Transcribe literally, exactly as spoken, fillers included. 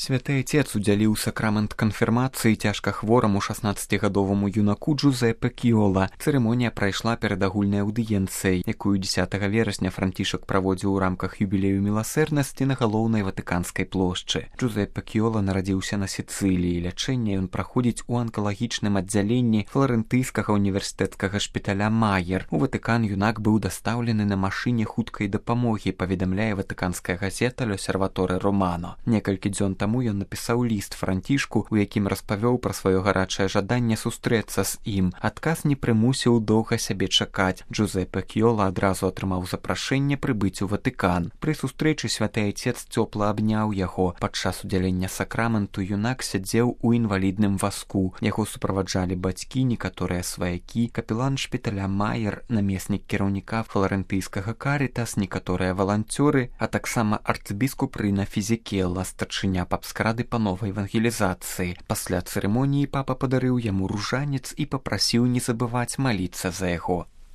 Святы Отец удзяліў сакрамент канфірмацыі цяжкахвораму шаснаццацігадоваму юнаку Джузеппе Кіола. Цырымонія прайшла перад агульнай аўдыенцыяй, якую дзесятага верасня Францішак праводзіў у рамках юбілею міласэрнасці на галоўнай ватыканскай плошчы. Джузеппе Кіола нарадзіўся на Сіцыліі. Лячэнне ён праходзіць у анкалагічным аддзяленні фларэнтыйскага універсітэцкага шпіталя Майер. У Ватыкан юнак быў дастаўлены на машыне хуткай дапамогі, паведамляе ватыканская газета «Л'Осерваторе Романо». Некалькі дзён таму ён напісаў ліст Францішку, у якім распавёў пра сваё гарачае жаданне сустрэцца з ім. Адказ не прымусіў доўга сябе чакаць. Джузеппе Кіола адразу атрымаў запрашэнне прыбыць у Ватыкан. Пры сустрэчы святы Отец цёпла абняў яго. Падчас удзялення сакраменту юнак сядзеў у інвалідным вазку. Яго суправаджалі бацькі, некаторыя сваякі, капелан шпіталя Майер, намеснік кіраўніка фларэнтыйскага Карітас, некаторыя валанцёры, а таксама арцыбіскуп Рына Фізікела, старшыня папскрады па новай евангелізацыі. Пасля цырымоніі папа падарыў яму ружанец і папрасіў не забываць маліцца за яго.